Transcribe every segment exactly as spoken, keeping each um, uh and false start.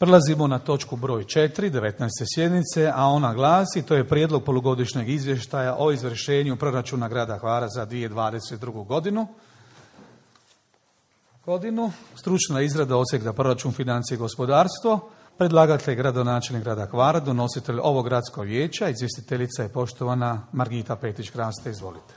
Prelazimo na točku broj četiri, devetnaeste sjednice, a ona glasi, to je prijedlog polugodišnjeg izvještaja o izvršenju proračuna grada Hvara za dvije tisuće dvadeset drugu. godinu. Godinu, stručna izrada odsjek za proračun, financije i gospodarstvo, predlagatelj gradonačelnik grada Hvara, donositelj ovog gradskog vijeća, izvjestiteljica je poštovana Margita Petić-Kraste, izvolite.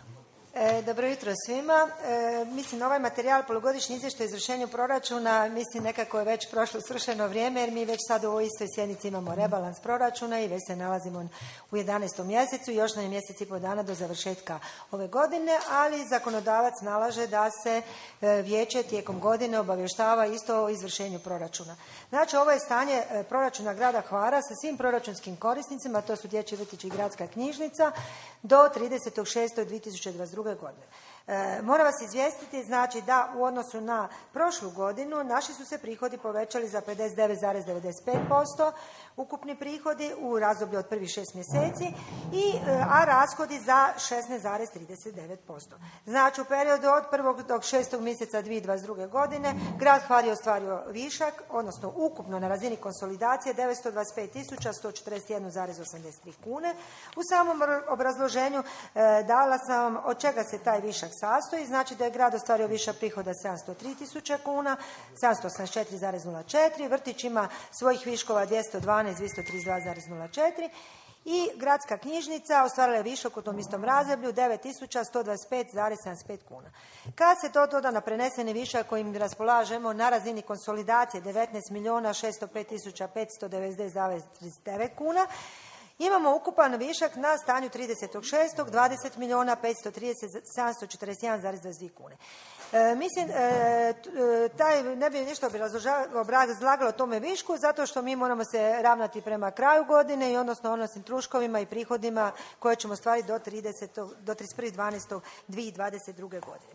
E, dobro jutro svima. E, mislim, ovaj materijal, polugodišnji izvještaj o izvršenju proračuna, mislim nekako je već prošlo svršeno vrijeme, jer mi već sad u ovoj istoj sjednici imamo rebalans proračuna i već se nalazimo u jedanaestom mjesecu i još nam je mjesec i pol dana do završetka ove godine, ali zakonodavac nalaže da se e, vijeće tijekom godine obavještava isto o izvršenju proračuna. Znači, ovo je stanje e, proračuna grada Hvara sa svim proračunskim korisnicima, to su dječji vrtići i gradska knjižnica, do tridesetog šestog dvije tisuće dvadeset druge. godine. E, moram vas izvijestiti, znači da u odnosu na prošlu godinu naši su se prihodi povećali za pedeset devet zarez devedeset pet posto, ukupni prihodi u razdoblju od prvih šest mjeseci, i, a rashodi za šesnaest zarez trideset devet posto. Znači, u periodu od prvog do šestog mjeseca dvije tisuće dvadeset druge. godine grad Hvar je ostvario višak, odnosno ukupno na razini konsolidacije devetsto dvadeset pet tisuća sto četrdeset jedan zarez osamdeset tri kune. U samom obrazloženju e, dala sam od čega se taj višak sastoji. Znači da je grad ostvario višak prihoda sedamsto tri tisuće kuna, sedamsto osamdeset četiri zarez nula četiri, vrtić ima svojih viškova dvjesto dvanaest, dvjesto trideset dva zarez nula četiri i gradska knjižnica ostvarila je višak u tom istom razdoblju devet tisuća sto dvadeset pet zarez sedamdeset pet kuna. Kad se to doda na preneseni višak kojim raspolažemo na razini konsolidacije devetnaest milijuna šesto pet tisuća petsto devedeset zarez trideset devet kuna, imamo ukupan višak na stanju tridesetog šestog dvadeset milijuna petsto trideset sedamsto četrdeset jedan zarez dvadeset dvije kune. E, mislim, e, taj ne bi ništa obrazlagalo tome višku, zato što mi moramo se ravnati prema kraju godine i odnosno odnosnim troškovima i prihodima koje ćemo ostvariti do, do trideset prvog dvanaestog dvije tisuće dvadeset druge. godine.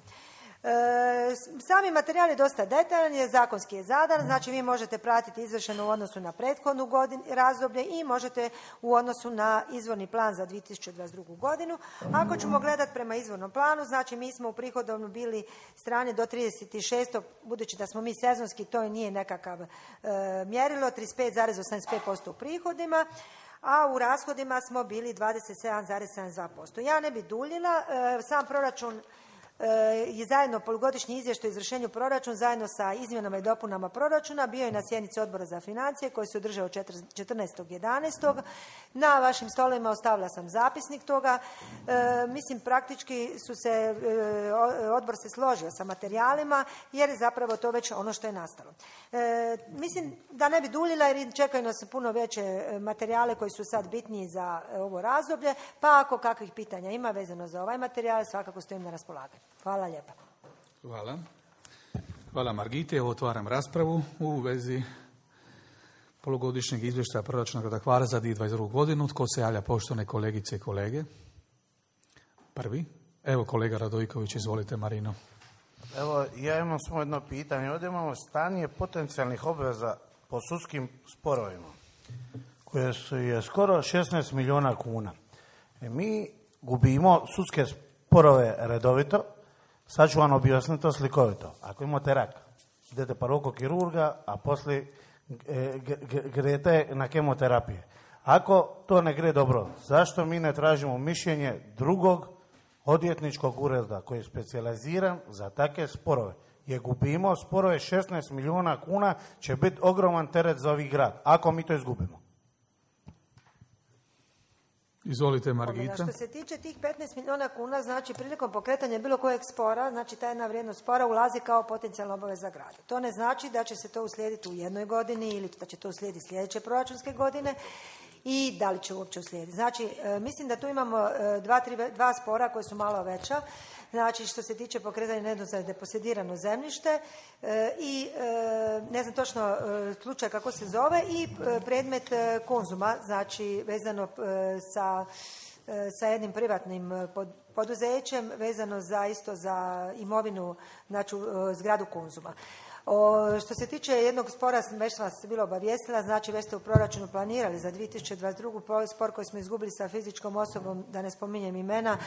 E, sami materijal je dosta detaljan, je zakonski je zadan, znači vi možete pratiti izvršeno u odnosu na prethodnu godinu, razdoblje i možete u odnosu na izvorni plan za dvije tisuće dvadeset drugu. godinu. Ako ćemo gledati prema izvornom planu, znači mi smo u prihodovno bili strane do trideset šestog budući da smo mi sezonski, to nije nekakav e, mjerilo, trideset pet zarez osamdeset pet posto u prihodima, a u rashodima smo bili dvadeset sedam zarez sedamdeset dva posto. Ja ne bi duljila, e, sam proračun je zajedno polugodišnji izvještaj o izvršenju proračuna zajedno sa izmjenama i dopunama proračuna bio je na sjednici Odbora za financije koji se održao četrnaestog jedanaestog Na vašim stolovima ostavila sam zapisnik toga. E, mislim, praktički su se, e, odbor se složio sa materijalima jer je zapravo to već ono što je nastalo. E, mislim da ne bi duljila jer čekaju nas puno veće materijale koji su sad bitniji za ovo razdoblje, pa ako kakvih pitanja ima vezano za ovaj materijal, svakako stojim na raspolaganju. Hvala lijepa. Hvala. Hvala Margite. Evo otvaram raspravu u vezi polugodišnjeg izvještaja proračuna grada Hvara za dvije tisuće dvadeset drugu. godinu. Tko se javlja, poštovane kolegice i kolege? Prvi. Evo kolega Radojković, izvolite Marino. Evo, ja imam samo jedno pitanje. Ovdje imamo stanje potencijalnih obveza po sudskim sporovima, koje su je skoro šesnaest milijuna kuna. E, mi gubimo sudske sporove redovito. Sad ću vam objasniti to slikovito. Ako imate rak, idete pa kod kirurga, a poslije e, grete na kemoterapije. Ako to ne gre dobro, zašto mi ne tražimo mišljenje drugog odvjetničkog ureda koji je specijaliziran za takve sporove? Je gubimo sporove šesnaest milijuna kuna, će biti ogroman teret za ovih grad, ako mi to izgubimo. Izvolite Margita. Što se tiče tih petnaest milijuna kuna, znači prilikom pokretanja bilo kojeg spora, znači ta jedna vrijednost spora ulazi kao potencijalna obaveza grada. To ne znači da će se to uslijediti u jednoj godini ili da će to uslijediti sljedeće proračunske godine i da li će uopće uslijediti. Znači, e, mislim da tu imamo e, dva, tri, dva spora koje su malo veća. Znači, što se tiče pokretanja nejedno za deposedirano zemljište e, i e, ne znam točno e, slučaj kako se zove i e, predmet e, Konzuma, znači vezano e, sa, e, sa jednim privatnim pod, poduzećem vezano za isto za imovinu, znači e, zgradu Konzuma. O, što se tiče jednog spora, već vas bilo obavijestila, znači već ste u proračunu planirali za dvije tisuće dvadeset drugu spor koji smo izgubili sa fizičkom osobom, da ne spominjem imena,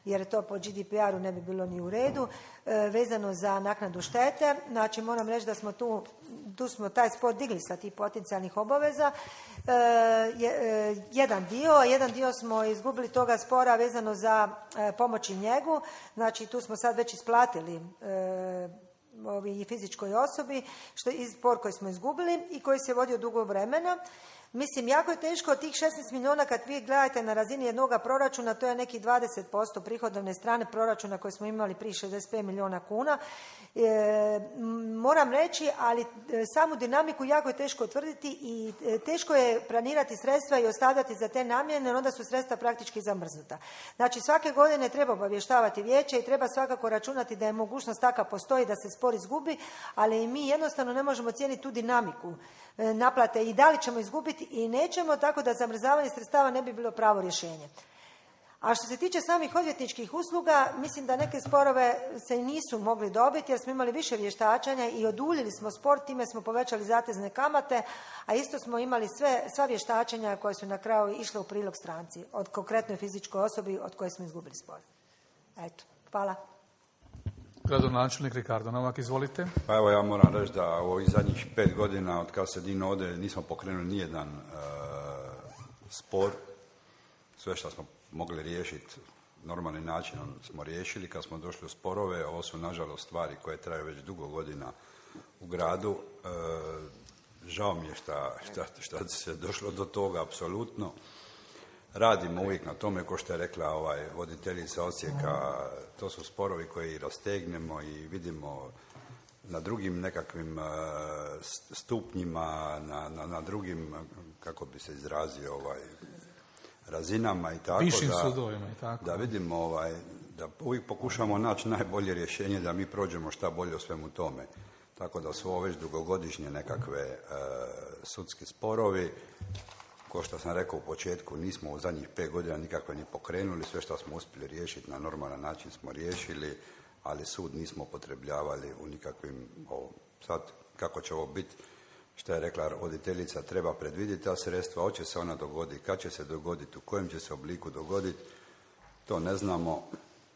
jer to po G D P R-u ne bi bilo ni u redu, e, vezano za naknadu štete. Znači moram reći da smo tu, tu smo taj spor digli sa tih potencijalnih obaveza. E, je, e, jedan dio, jedan dio smo izgubili toga spora vezano za e, pomoć i njegu, znači tu smo sad već isplatili e, ovi fizičkoj osobi, što je spor koji smo izgubili i koji se vodio dugo vremena. Mislim, jako je teško od tih šesnaest milijuna kad vi gledate na razini jednoga proračuna, to je neki dvadeset posto prihodovne strane proračuna koje smo imali prije šezdeset pet milijuna kuna. E, moram reći, ali samu dinamiku jako je teško utvrditi i teško je planirati sredstva i ostavljati za te namjene, jer onda su sredstva praktički zamrznuta. Znači, svake godine treba obavještavati vijeće i treba svakako računati da je mogućnost taka postoji da se spor izgubi, ali mi jednostavno ne možemo cijeniti tu dinamiku naplate i da li ćemo izgubiti i nećemo, tako da zamrzavanje sredstava ne bi bilo pravo rješenje. A što se tiče samih odvjetničkih usluga, mislim da neke sporove se nisu mogli dobiti jer smo imali više vještačanja i oduljili smo spor, time smo povećali zatezne kamate, a isto smo imali sve, sva vještačenja koje su na kraju išle u prilog stranci, od konkretnoj fizičkoj osobi od koje smo izgubili spor. Eto, hvala. Gradonačelnik Ricardo Novak, izvolite. Pa evo, ja moram reći da u ovih zadnjih pet godina od kada se Dino ode nismo pokrenuli nijedan e, spor. Sve što smo mogli riješiti normalnim načinom smo riješili. Kad smo došli u sporove, ovo su nažalost stvari koje traju već dugo godina u gradu. E, žao mi je šta, šta, šta se došlo do toga, apsolutno. Radimo uvijek na tome, ko što je rekla ovaj, voditeljica Osijeka, to su sporovi koji rastegnemo i vidimo na drugim nekakvim uh, stupnjima, na, na, na drugim, kako bi se izrazio, ovaj, razinama i tako. Višim da, sudovima i tako. Da vidimo, ovaj, da uvijek pokušamo naći najbolje rješenje da mi prođemo šta bolje o svemu tome. Tako da su ovo već dugogodišnje nekakve uh, sudski sporovi. Ko što sam rekao u početku, nismo u zadnjih pet godina nikakve ni pokrenuli, sve što smo uspjeli riješiti na normalan način smo riješili, ali sud nismo upotrebljavali u nikakvim, o, sad kako će ovo biti, što je rekla voditeljica, treba predvidjeti ta sredstva, hoće se ona dogoditi, kad će se dogoditi, u kojem će se obliku dogoditi, to ne znamo,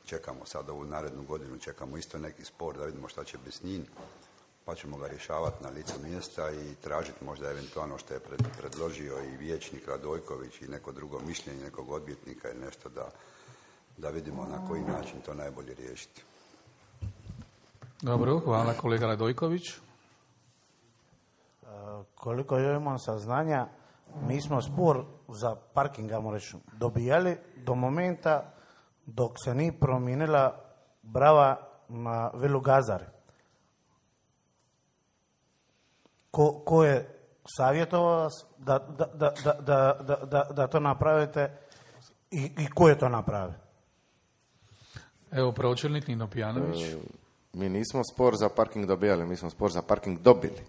čekamo sad ovu narednu godinu, čekamo isto neki spor da vidimo šta će biti s njim, pa ćemo ga rješavati na licu mjesta i tražiti možda eventualno što je pred, predložio i vijećnik Radojković i neko drugo mišljenje, nekog odvjetnika ili nešto da, da vidimo na koji način to najbolje riješiti. Dobro, hvala kolega Radojković. E, koliko ja imam saznanja, mi smo spor za parking, ajmo reći, dobijali do momenta dok se nije promijenila brava na Vilu Gazari. Ko, ko je savjetovao vas da, da, da, da, da, da, da to napravite i, i ko je to napravio? Evo pročelnik Nino Pijanović. E, mi nismo spor za parking dobijali, mi smo spor za parking dobili.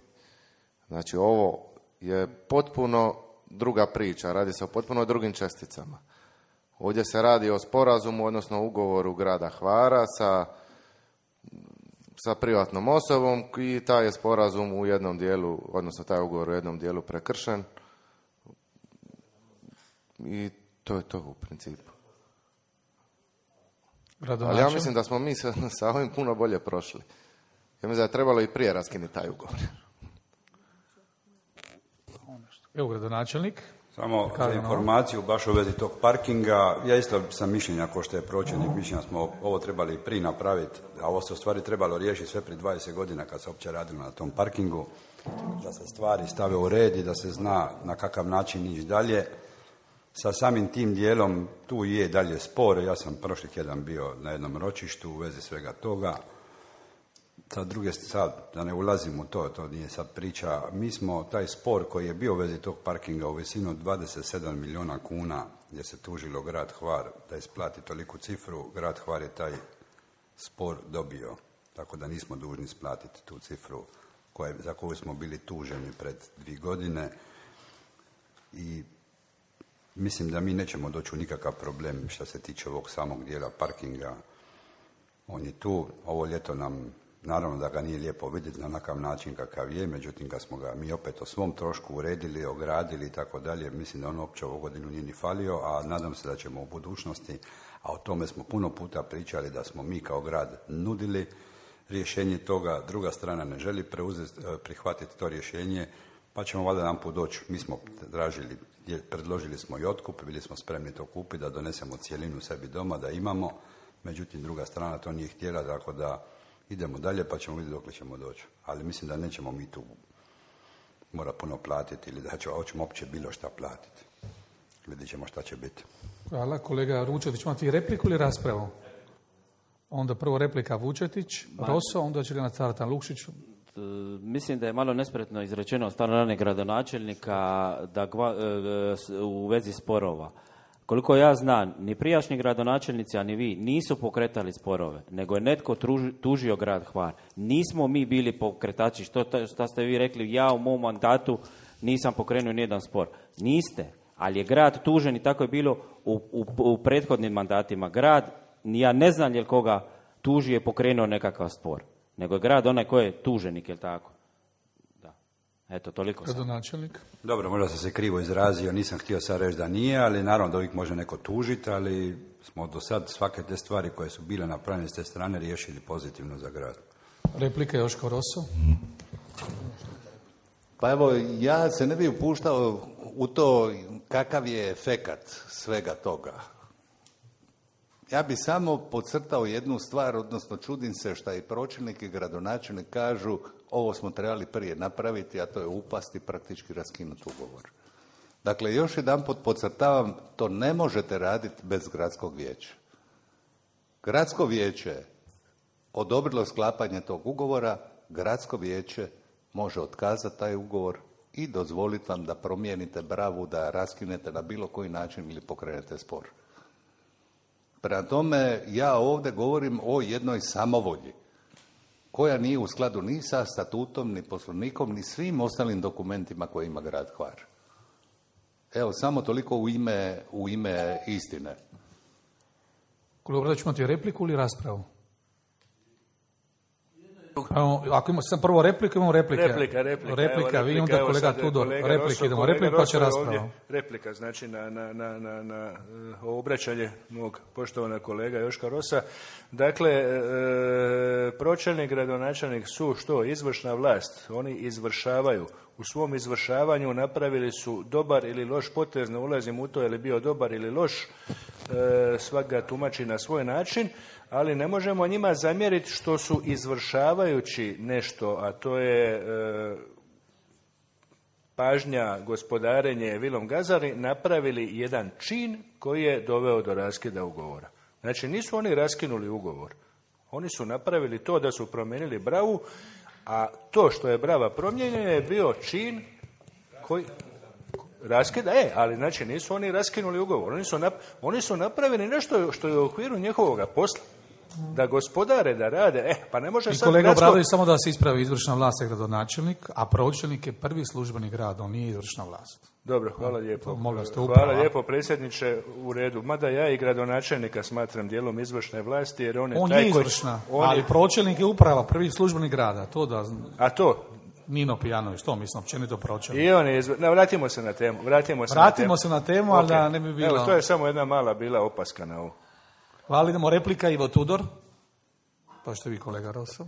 Znači ovo je potpuno druga priča, radi se o potpuno drugim česticama. Ovdje se radi o sporazumu, odnosno ugovoru grada Hvara sa sa privatnom osobom i taj je sporazum u jednom dijelu, odnosno taj ugovor u jednom dijelu prekršen i to je to u principu. Ali ja mislim da smo mi sa, sa ovim puno bolje prošli. Ja mislim da je trebalo i prije raskinuti taj ugovor. Evo gradonačelnik. Samo za informaciju, baš u vezi tog parkinga, ja isto sam mišljenja, ko što je pročelnik mišljenja, smo ovo trebali prije napraviti, a ovo se u stvari trebalo riješiti sve prije dvadeset godina kad se uopće radilo na tom parkingu, da se stvari stave u red i da se zna na kakav način ići dalje. Sa samim tim dijelom tu je dalje spor, ja sam prošli tjedan bio na jednom ročištu u vezi svega toga. Sa druge sad, da ne ulazim u to, to nije sad priča, mi smo taj spor koji je bio u vezi tog parkinga u visinu od dvadeset sedam milijuna kuna, gdje se tužilo grad Hvar da isplati toliku cifru, grad Hvar je taj spor dobio, tako da nismo dužni isplatiti tu cifru koje, za koju smo bili tuženi pred dvije godine i mislim da mi nećemo doći u nikakav problem što se tiče ovog samog dijela parkinga. On je tu, ovo ljeto nam naravno da ga nije lijepo vidjeti na onakav način kakav je, međutim kad smo ga mi opet o svom trošku uredili, ogradili i tako dalje, mislim da on uopće ovu godinu nije ni falio, a nadam se da ćemo u budućnosti, a o tome smo puno puta pričali, da smo mi kao grad nudili rješenje toga, druga strana ne želi preuzeti, prihvatiti to rješenje, pa ćemo valjda jedan put doći. Mi smo tražili, predložili smo i otkup, bili smo spremni to kupiti, da donesemo cijelinu sebi doma, da imamo, međutim druga strana to nije htjela, tako da idemo dalje pa ćemo vidjeti dok ćemo doći. Ali mislim da nećemo mi tu mora puno platiti ili da ćemo uopće bilo šta platiti. Vidjet ćemo šta će biti. Hvala. Kolega Vučetić, imate i repliku ili raspravu? Onda prvo replika Vučetić, Roso, onda će Lena Cartan Lukšić. Mislim da je malo nespretno izrečeno od strane gradonačelnika da gva, u vezi sporova. Koliko ja znam, ni prijašnji gradonačelnici, a ni vi, nisu pokretali sporove, nego je netko tuži, tužio grad Hvar. Nismo mi bili pokretači, što, što ste vi rekli, ja u mom mandatu nisam pokrenuo nijedan spor. Niste, ali je grad tužen i tako je bilo u, u, u prethodnim mandatima. Grad, ja ne znam je li koga tuži je pokrenuo nekakav spor, nego je grad onaj koji je tuženik, je li tako? Da. Eto, toliko sam. Gradonačelnik. Dobro, možda sam se krivo izrazio, nisam htio sad reći da nije, ali naravno da uvijek može neko tužiti, ali smo do sad svake te stvari koje su bile napravljene s te strane riješili pozitivno za grad. Replika Joško Roso. Pa evo, ja se ne bih upuštao u to kakav je efekat svega toga. Ja bi samo podcrtao jednu stvar, odnosno čudim se šta i pročelnik i gradonačelnik kažu ovo smo trebali prije napraviti, a to je upasti, praktički raskinuti ugovor. Dakle, još jedanput podcrtavam, to ne možete raditi bez gradskog vijeća. Gradsko vijeće odobrilo sklapanje tog ugovora, gradsko vijeće može otkazati taj ugovor i dozvoliti vam da promijenite bravu, da raskinete na bilo koji način ili pokrenete spor. Prema tome, ja ovdje govorim o jednoj samovolji koja nije u skladu ni sa statutom, ni poslovnikom, ni svim ostalim dokumentima koje ima grad Hvar. Evo, samo toliko u ime, u ime istine. Kolega Obradović, imate repliku ili raspravu? Evo, ako ima sam prvo repliku, imamo replike. Replika, replika. Replika, evo, vi onda evo, kolega sad, Tudor, kolega replike, Rosso, idemo kolega repliku, pa će Rosso rasprava. ovdje, replika, znači na, na, na, na, na uh, obraćanje mog poštovanog kolega Joška Rosa. Dakle, e, pročelnik, gradonačelnik su što? Izvršna vlast. Oni izvršavaju. U svom izvršavanju napravili su dobar ili loš potez, ne ulazim u to je li bio dobar ili loš, e, svak ga tumači na svoj način, ali ne možemo njima zamjeriti što su izvršavajući nešto, a to je e, pažnja, gospodarenje vilom Gazari, napravili jedan čin koji je doveo do raskida ugovora. Znači, nisu oni raskinuli ugovor. Oni su napravili to da su promijenili bravu, a to što je brava promijenjena je bio čin koji raskida, e, ali znači nisu oni raskinuli ugovor. Oni su, nap, oni su napravili nešto što je u okviru njihovoga posla. Da gospodare, da rade, e, pa ne može I sad... kolega gradsko... Obradović, samo da se ispravi, izvršna vlast je gradonačelnik, a pročelnik je prvi službeni grad, on nije izvršna vlast. Dobro, hvala lijepo. Molim vas, Hvala lijepo, predsjedniče, u redu. Mada ja i gradonačelnika smatram dijelom izvršne vlasti, jer on je On taj je koji... izvršna, on ali je... pročelnik je uprava, prvi službeni grada, to da... A to? Nino Pijanović, to mislim, općenito pročelnik. I on je izvr... no, vratimo se na temu. Vratimo se Vratimo na temu, se na temu ali okay. da ne bi bilo... Evo, to je samo jedna mala bila opaska na ovo. Hvala, idemo replika, Ivo Tudor. Pa što vi, kolega Rosso?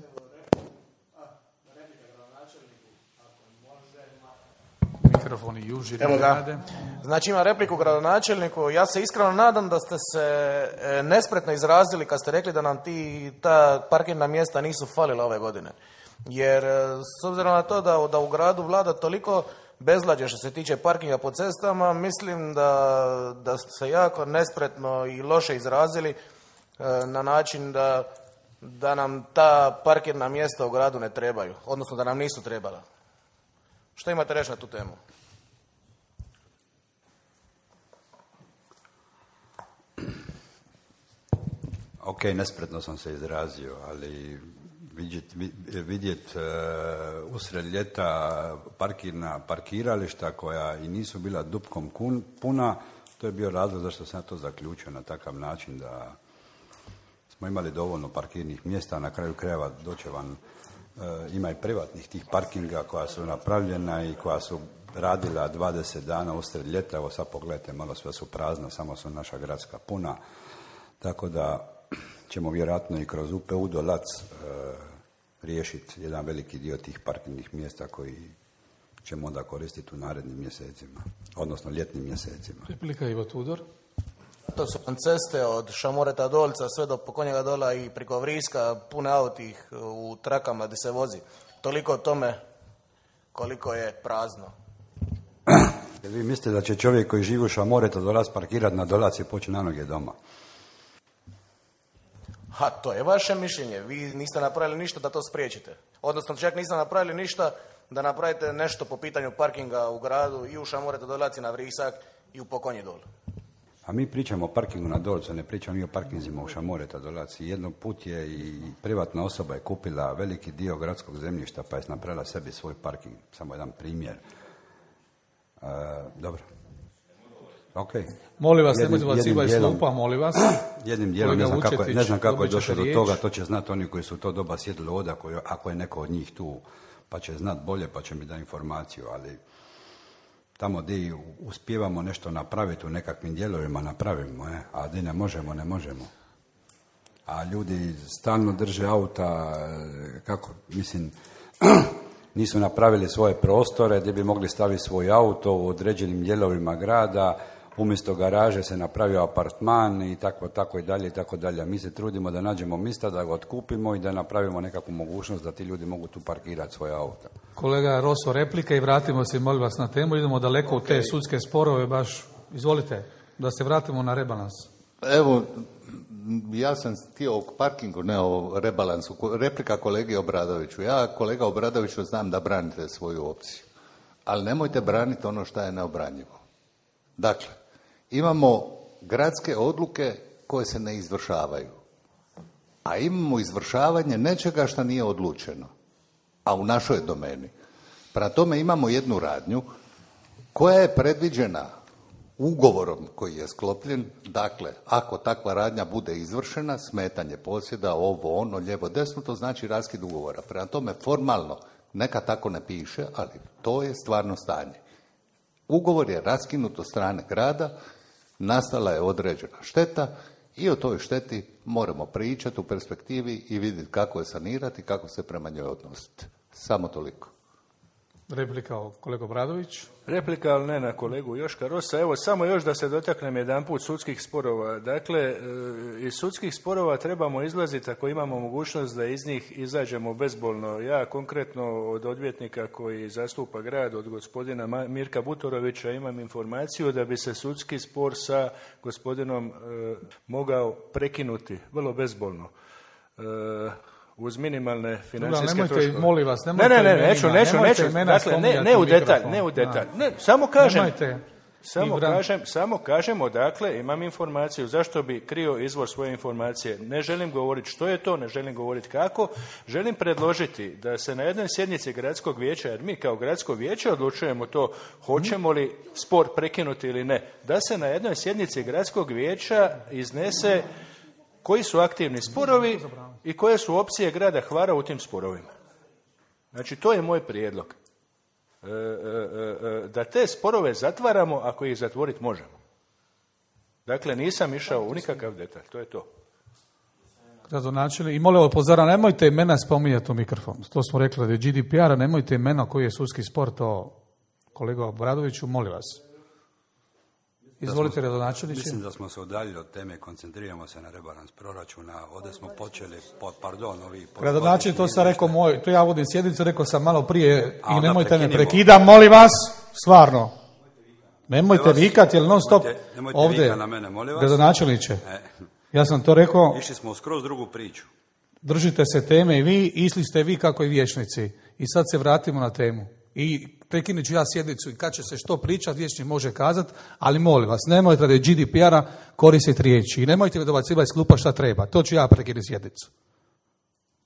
Mikrofoni juži. Evo ga. Znači ima repliku gradonačelniku. Ja se iskreno nadam da ste se e, nespretno izrazili kad ste rekli da nam ti ta parkirna mjesta nisu falila ove godine. Jer e, s obzirom na to da, da u gradu vlada toliko bezlađe što se tiče parkinga po cestama, mislim da, da ste se jako nespretno i loše izrazili e, na način da, da nam ta parkirna mjesta u gradu ne trebaju. Odnosno da nam nisu trebala. Što imate reći na tu temu? Ok, nespretno sam se izrazio, ali vidjet, vidjet uh, usred ljeta parkirna parkirališta koja i nisu bila dupkom kun, puna, to je bio razlog zašto sam ja to zaključio na takav način da smo imali dovoljno parkirnih mjesta, na kraju krajeva doće vam, e, ima i privatnih tih parkinga koja su napravljena i koja su radila dvadeset dana usred ljeta, evo sad pogledajte, malo sve su prazna, samo su naša gradska puna, tako da ćemo vjerojatno i kroz U P U Dolac e, riješiti jedan veliki dio tih parkingnih mjesta koji ćemo onda koristiti u narednim mjesecima, odnosno ljetnim mjesecima. Replika Ivo Tudor. To su ceste od Šamoreta Dolca sve do Pokonjega Dola i preko Vriska, pune autih u trakama gdje se vozi. Toliko o tome koliko je prazno. Jer vi mislite da će čovjek koji živi u Šamoreta Dolac parkirati na Dolac i poći na noge doma? Ha, to je vaše mišljenje. Vi niste napravili ništa da to spriječite. Odnosno, čak niste napravili ništa da napravite nešto po pitanju parkinga u gradu i u Šamoreta Dolac i na Vrisak i u Pokonji Dol. A mi pričamo o parkingu na Dolcu, ne pričamo mi o parkinzima u Šamoreta Dolac. Jednog put je i privatna osoba je kupila veliki dio gradskog zemljišta pa je napravila sebi svoj parking. Samo jedan primjer. E, dobro. Ok. Molim vas, nemojte bacivati slupa, molim vas. Jednim dijelom, ne znam kako je, ne znam kako je došlo do toga, to će znati oni koji su to doba sjedili ovdje, ako je neko od njih tu, pa će znati bolje, pa će mi dati informaciju, ali tamo gdje uspijevamo nešto napraviti u nekakvim dijelovima, napravimo, eh? A gdje ne možemo, ne možemo. A ljudi stalno drže auta, kako, mislim, nisu napravili svoje prostore gdje bi mogli staviti svoj auto u određenim dijelovima grada, umjesto garaže se napravio apartman i tako, tako i dalje i tako dalje. Mi se trudimo da nađemo mjesta, da ga otkupimo i da napravimo nekakvu mogućnost da ti ljudi mogu tu parkirati svoje auta. Kolega Roso, replika i vratimo se, molim vas, na temu. Idemo daleko okay. u te sudske sporove, baš, izvolite, da se vratimo na rebalans. Evo, ja sam htio o parkingu, ne o rebalansu. Replika kolegi Obradoviću. Ja, kolega Obradoviću, znam da branite svoju opciju, ali nemojte braniti ono što je neobranjivo. Dakle, imamo gradske odluke koje se ne izvršavaju, a imamo izvršavanje nečega što nije odlučeno, a u našoj domeni. Prema tome imamo jednu radnju koja je predviđena ugovorom koji je sklopljen. Dakle, ako takva radnja bude izvršena, smetanje posjeda, ovo, ono, lijevo, desno, to znači raskid ugovora. Prema tome, formalno, neka tako ne piše, ali to je stvarno stanje. Ugovor je raskinut od strane grada, nastala je određena šteta i o toj šteti moramo pričati u perspektivi i vidjeti kako je sanirati i kako se prema njoj odnositi. Samo toliko. Replika o kolegu Obradović. Replika, ali ne na kolegu Joška Rosa. Evo, samo još da se dotaknem jedanput sudskih sporova. Dakle, iz sudskih sporova trebamo izlaziti ako imamo mogućnost da iz njih izađemo bezbolno. Ja konkretno od odvjetnika koji zastupa grad, od gospodina Mirka Butorovića, imam informaciju da bi se sudski spor sa gospodinom e, mogao prekinuti vrlo bezbolno. E, uz minimalne financijske nemojte, troškove. Molim vas, nemojte ne, ne, ne, neću, neću, neću, dakle, ne, ne u detalj, ne u detalj, ne, samo kažem, nemojte, samo kažem, samo kažemo, dakle, imam informaciju, zašto bi krio izvor svoje informacije, ne želim govoriti što je to, ne želim govoriti kako, želim predložiti da se na jednoj sjednici gradskog vijeća, jer mi kao gradsko vijeće odlučujemo to, hoćemo li spor prekinuti ili ne, da se na jednoj sjednici gradskog vijeća iznese koji su aktivni sporovi i koje su opcije grada Hvara u tim sporovima. Znači, to je moj prijedlog. E, e, e, da te sporove zatvaramo ako ih zatvoriti možemo. Dakle, nisam išao u nikakav detalj, to je to. Gradonačelnik, i molim upozora, nemojte imena spominjati u mikrofon. To smo rekli da je G D P R, a nemojte imena koji je sudski spor, to kolega Obradoviću, molim vas. Izvolite, gradonačelniče. Mislim da smo se udaljili od teme, koncentriramo se na rebalans proračuna, ovdje smo počeli, po, pardon, ovi... Gradonačelnik, to sam rekao moj, to ja vodim sjednicu, rekao sam malo prije i nemojte prekinimo. me prekidam, molim vas, stvarno. Nemojte vikati, jer non stop nemojte, nemojte ovdje, na mene, molim vas. Gradonačelniče, e. ja sam to rekao... Išli smo u skroz drugu priču. Držite se teme i vi, išli ste vi kako i vijećnici. I sad se vratimo na temu. I prekinut ću ja sjednicu i kad će se što pričati, vijećnik može kazati, ali molim vas, nemojte da je G D P R-a koristiti riječi i nemojte mi dobacivati iz klupa šta treba. To ću ja prekinuti sjednicu.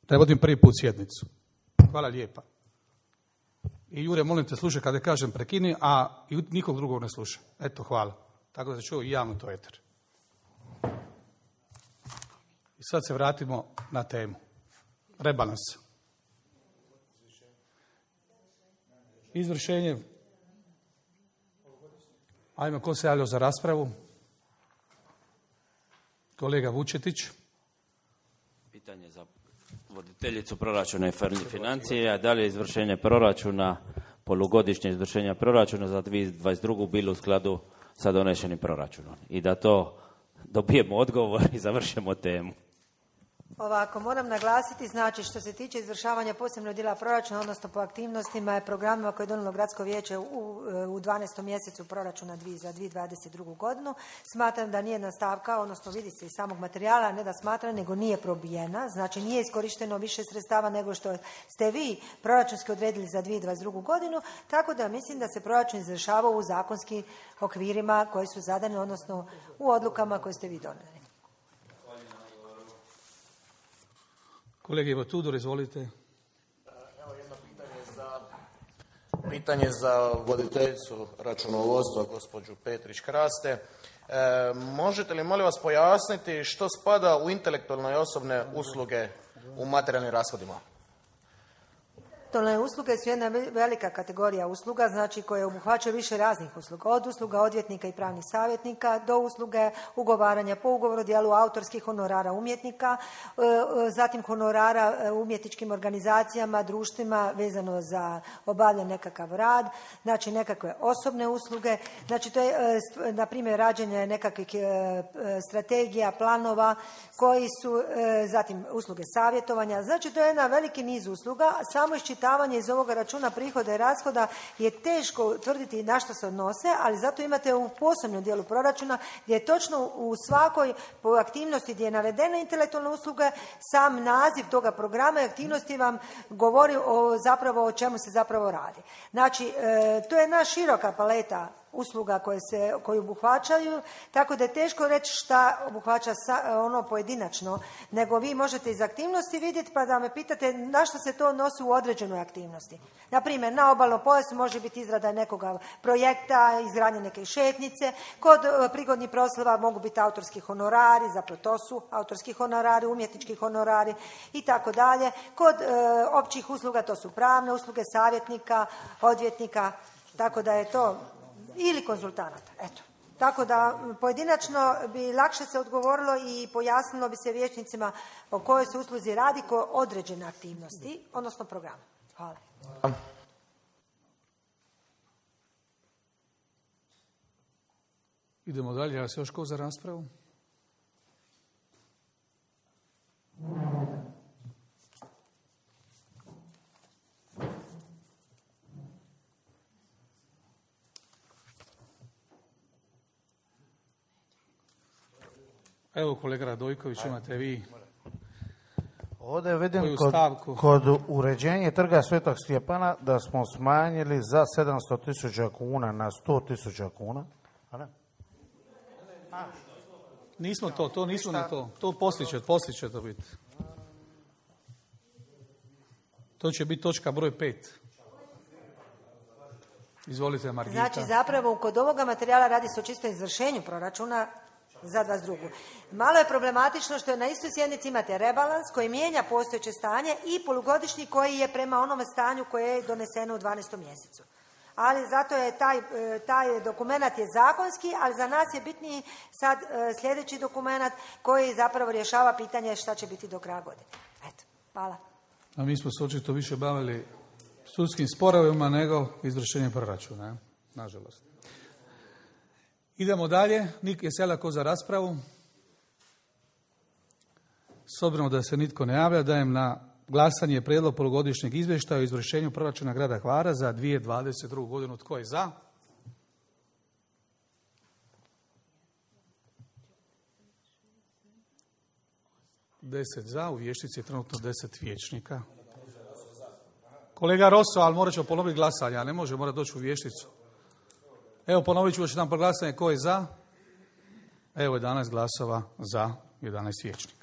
Da vodim prvi put sjednicu. Hvala lijepa. I Jure, molim te, slušaj kada kažem prekini, a i nikog drugog ne sluša. Eto, hvala. Tako da se čuo i javno to eter. I sad se vratimo na temu. Rebalans. Izvršenje. Ajmo, ko se javljao za raspravu? Kolega Vučetić. Pitanje za voditeljicu proračuna i financije, da li je izvršenje proračuna, polugodišnje izvršenje proračuna za dvije tisuće dvadeset drugu bilo u skladu sa donešenim proračunom? I da to dobijemo odgovor i završimo temu. Ovako, moram naglasiti, znači što se tiče izvršavanja posebnog dijela proračuna, odnosno po aktivnostima i programima koje je donijelo Gradsko vijeće u, u dvanaestom mjesecu proračuna za dvije tisuće dvadeset drugu godinu, smatram da nije nastavka, odnosno vidi se iz samog materijala, ne da smatram, nego nije probijena, znači nije iskorišteno više sredstava nego što ste vi proračunski odredili za dvije tisuće dvadeset drugu godinu, tako da mislim da se proračun izvršava u zakonskim okvirima koji su zadani, odnosno u odlukama koje ste vi donijeli. Kolege Ivo Tudor, izvolite. Evo jedno pitanje za, pitanje za voditeljicu računovodstva, gospođu Petrić Kraste. E, možete li, molim vas, pojasniti što spada u intelektualne i osobne usluge u materijalnim rashodima? Intelektualne usluge su jedna velika kategorija usluga, znači koje obuhvaćaju više raznih usluga, od usluga odvjetnika i pravnih savjetnika do usluge ugovaranja po ugovoru djelu autorskih honorara umjetnika, zatim honorara umjetničkim organizacijama, društvima vezano za obavljanje nekakav rad, znači nekakve osobne usluge, znači to je na primjer rađenje nekakvih strategija, planova koji su zatim usluge savjetovanja, znači to je jedan veliki niz usluga, samo iščitavanje iz ovoga računa prihoda i rashoda je teško utvrditi na što se odnose, ali zato imate u posebnom dijelu proračuna gdje je točno u svakoj aktivnosti gdje je navedena intelektualna usluga, sam naziv toga programa i aktivnosti vam govori o zapravo o čemu se zapravo radi. Znači, e, to je jedna široka paleta usluga koje se koje obuhvaćaju, tako da je teško reći šta obuhvaća sa, ono pojedinačno, nego vi možete iz aktivnosti vidjeti pa da me pitate na što se to odnosi u određenoj aktivnosti. Na primjer, na obalnom pojasu može biti izrada nekoga projekta, izgradnje neke šetnice, kod prigodnih proslava mogu biti autorski honorari, zapravo to su autorski honorari, umjetnički honorari i tako dalje. Kod e, općih usluga to su pravne usluge, savjetnika, odvjetnika, tako da je to ili konzultanata, eto. Tako da pojedinačno bi lakše se odgovorilo i pojasnilo bi se vijećnicima o kojoj se usluzi radi, koje određene aktivnosti, odnosno program. Hvala. Idemo dalje, ja se još ko za raspravu? Evo, kolega Radojković, imate vi ovdje vidim koju kod, stavku? kod uređenja trga Svetog Stjepana da smo smanjili za sedamsto tisuća kuna na sto tisuća kuna. A ne? A. Nismo to, to nismo na to. To poslije će, poslije će to biti. To će biti točka broj pet. Izvolite, Margita. Znači, zapravo, kod ovoga materijala radi se o čistom izvršenju proračuna za dvadeset drugu. Malo je problematično što je na istoj sjednici imate rebalans koji mijenja postojeće stanje i polugodišnji koji je prema onome stanju koje je doneseno u dvanaestom mjesecu. Ali zato je taj, taj dokumenat je zakonski, ali za nas je bitniji sad sljedeći dokumenat koji zapravo rješava pitanje šta će biti do kraja godine. Eto, hvala. A mi smo se očito više bavili sudskim sporovima nego izvršenjem proračuna, nažalost. Idemo dalje. Nik je selako za raspravu. S obzirom da se nitko ne javlja, dajem na glasanje prijedlog polugodišnjeg izvještaja o izvršenju proračuna grada Hvara za dvije tisuće dvadeset drugu godinu. Tko je za? Deset za, u vijećnici je trenutno deset vijećnika. Kolega Rosso, ali morat ćemo ponoviti glasanje, a ne može, mora doći u vijećnicu. Evo, ponovit ću još jedan glasanje. Ko je za? Evo, jedanaest glasova za, jedanaest vijećnika.